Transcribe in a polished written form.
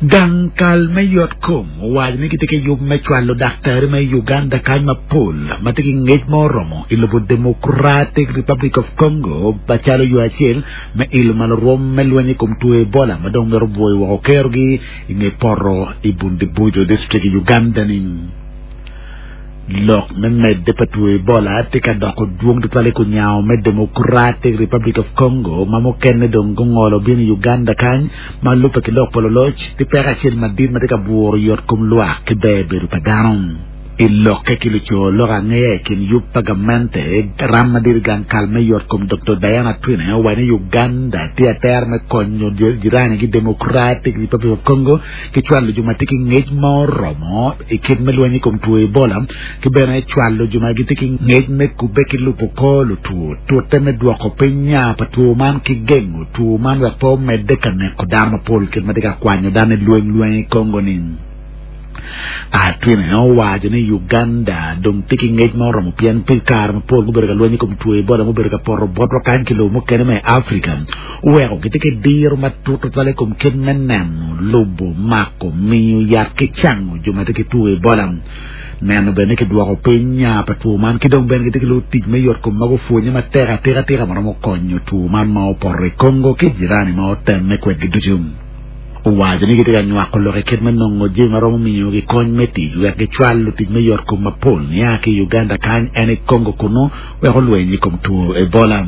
Gang kal me yotkom owaco ni gitye ki yub me cwalo daktari ma i Uganda kany mapol ma tye ki ngec ma oromo i lobo Democratic Republic of Congo macalo yo acel me ilo malo rwom me lweny i kom two Ebola ma dong mito bwoyo woko kerogi i nge poto i Bundibugyo District i Uganda-ni. Lok me medde pa two Ebola tye ka doko dwong tutwal i kunyango me Democratic Republic of Congo ma mukene dong gungolo bino i Uganda kany ma lubbe ki lok pa luloc tye peko acel madit ma tye ka bwuro yot kom lwak ki ber bedo pa dano. I lokke ki luco lok angeya i kin yub pa gamente, ram madit i gang kal me yot kom Doktor Diana Atwine owaco ni Uganda tye atera me konyo jiranigi Democratic Republic of Congo ki cwalo jo ma tye ki ngec ma oromo i kit me lweny i kom two Ebola ki bene cwalo jo ma gitye ki ngec me kubbe ki lubo kor lutwo, tute me dwoko piny nya pa two man ki gengo two man wek pe omedde ka neko dano mapol kit ma tye ka kwanyo dano i lweny lweny i Congo ni. Atwine owaco ni Uganda dong tye ki ngec ma oromo pien pi kare mapol gubedo ka lweny i kom two Ebola mubedo ka poto botwa kany ki lobo mukene ma i Afrika oweko gitye ki diro matut tutwal i kom kit me neno, lubo, mako, miyo yat ki cango jo ma tye ki two Ebola. Neno bene ni kidwoko piny nya pa two man ki dong bene gitye ki lutic me yotkom ma gupwonye matek atika tika ma romo konyo two man ma opoto i Congo ki jirani ma otemme kwedgi ducu. Owaco ni gitye ka nywako lok i kit me nongo jami ma romo miyogi kony me tic wek gicwal lutic me yotkom mapol nia ki i Uganda kany en i Congo kunu wek olweny i kom two Ebola.